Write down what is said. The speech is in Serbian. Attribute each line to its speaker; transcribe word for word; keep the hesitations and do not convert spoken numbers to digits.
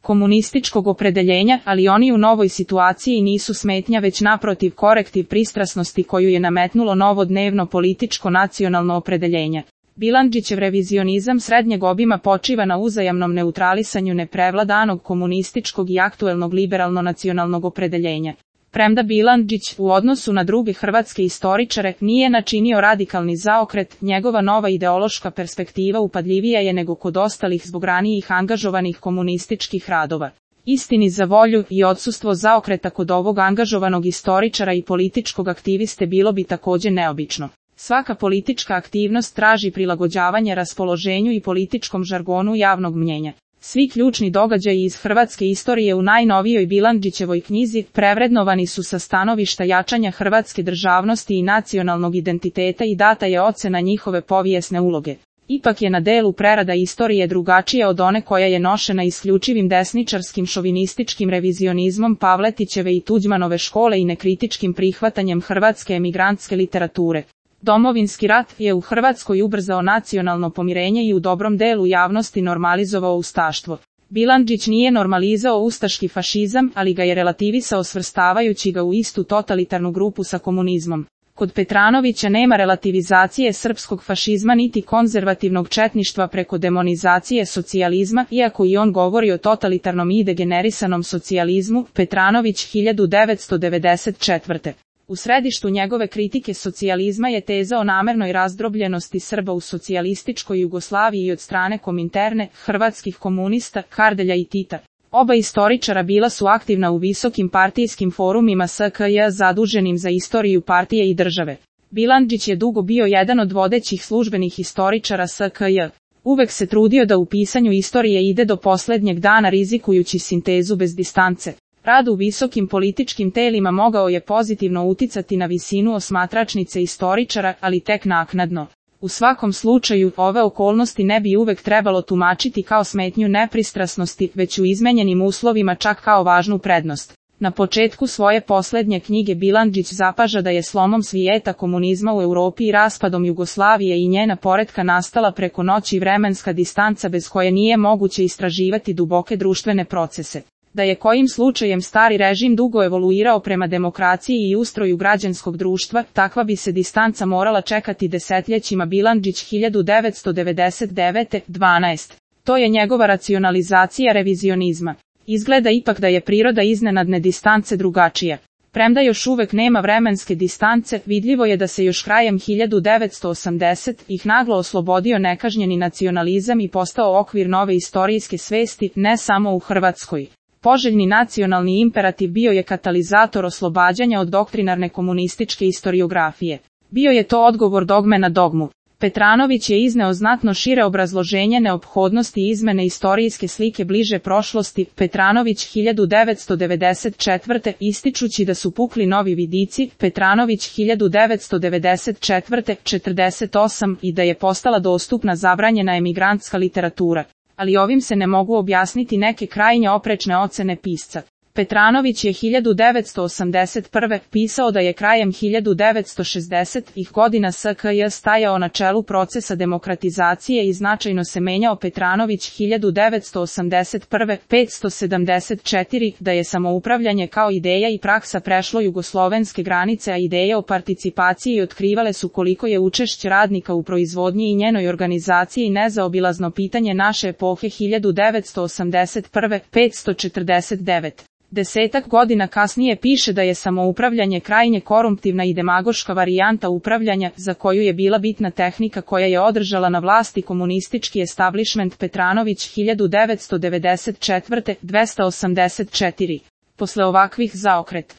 Speaker 1: komunističkog opredeljenja, ali oni u novoj situaciji nisu smetnja već naprotiv korektiv pristrasnosti koju je nametnulo novo dnevno političko nacionalno opredeljenje. Bilandžićev revizionizam srednjeg obima počiva na uzajamnom neutralisanju neprevladanog komunističkog i aktuelnog liberalno-nacionalnog opredeljenja. Premda Bilandžić, u odnosu na druge hrvatske istoričare, nije načinio radikalni zaokret, njegova nova ideološka perspektiva upadljivija je nego kod ostalih zbog ranijih angažovanih komunističkih radova. Istini za volju i odsustvo zaokreta kod ovog angažovanog istoričara i političkog aktiviste bilo bi također neobično. Svaka politička aktivnost traži prilagođavanje raspoloženju i političkom žargonu javnog mnjenja. Svi ključni događaji iz hrvatske istorije u najnovijoj Bilandžićevoj knjizi prevrednovani su sa stanovišta jačanja hrvatske državnosti i nacionalnog identiteta i data je ocena njihove povijesne uloge. Ipak je na delu prerada istorije drugačija od one koja je nošena isključivim desničarskim šovinističkim revizionizmom Pavletićeve i Tuđmanove škole i nekritičkim prihvatanjem hrvatske emigrantske literature. Domovinski rat je u Hrvatskoj ubrzao nacionalno pomirenje i u dobrom delu javnosti normalizovao ustaštvo. Bilandžić nije normalizao ustaški fašizam, ali ga je relativisao svrstavajući ga u istu totalitarnu grupu sa komunizmom. Kod Petranovića nema relativizacije srpskog fašizma niti konzervativnog četništva preko demonizacije socijalizma, iako i on govori o totalitarnom i degenerisanom socijalizmu. Petranović hiljadu devetsto devedeset četvrte. U središtu njegove kritike socijalizma je teza o namernoj razdrobljenosti Srba u socijalističkoj Jugoslaviji i od strane Kominterne, hrvatskih komunista, Kardelja i Tita. Oba istoričara bila su aktivna u visokim partijskim forumima S K J zaduženim za istoriju partije i države. Bilandžić je dugo bio jedan od vodećih službenih istoričara S K J. Uvek se trudio da u pisanju istorije ide do posljednjeg dana rizikujući sintezu bez distance. Rad u visokim političkim telima mogao je pozitivno uticati na visinu osmatračnice istoričara, ali tek naknadno. U svakom slučaju, ove okolnosti ne bi uvek trebalo tumačiti kao smetnju nepristrasnosti, već u izmenjenim uslovima čak kao važnu prednost. Na početku svoje posljednje knjige Bilandžić zapaža da je slomom svijeta komunizma u Europi i raspadom Jugoslavije i njena poretka nastala preko noći vremenska distanca bez koje nije moguće istraživati duboke društvene procese. Da je kojim slučajem stari režim dugo evoluirao prema demokraciji i ustroju građanskog društva, takva bi se distanca morala čekati desetljećima. Bilandžić hiljadu devetsto devedeset devete dvanaest. To je njegova racionalizacija revizionizma. Izgleda ipak da je priroda iznenadne distance drugačija. Premda još uvek nema vremenske distance, vidljivo je da se još krajem hiljadu devetsto osamdesetih ih naglo oslobodio nekažnjeni nacionalizam i postao okvir nove istorijske svesti, ne samo u Hrvatskoj. Poželjni nacionalni imperativ bio je katalizator oslobađanja od doktrinarne komunističke istoriografije. Bio je to odgovor dogme na dogmu. Petranović je izneo znatno šire obrazloženje neophodnosti izmene istorijske slike bliže prošlosti. Petranović hiljadu devetsto devedeset četvrte ističući da su pukli novi vidici. Petranović hiljadu devetsto devedeset četvrte četrdeset osam i da je postala dostupna zabranjena emigrantska literatura. Ali ovim se ne mogu objasniti neke krajnje oprečne ocene pisca. Petranović je hiljadu devetsto osamdeset prve pisao da je krajem hiljadu devetsto šezdesetih godina S K J stajao na čelu procesa demokratizacije i značajno se menjao. Petranović hiljadu devetsto osamdeset prve petsto sedamdeset četiri da je samoupravljanje kao ideja i praksa prešlo jugoslovenske granice, a ideje o participaciji otkrivale su koliko je učešće radnika u proizvodnji i njenoj organizaciji nezaobilazno pitanje naše epohe. Hiljadu devetsto osamdeset prve petsto četrdeset devet. Desetak godina kasnije piše da je samoupravljanje krajnje korumptivna i demagoška varijanta upravljanja, za koju je bila bitna tehnika koja je održala na vlasti komunistički establishment. Petranović hiljadu devetsto devedeset četvrte dvesta osamdeset četiri. Posle ovakvih zaokret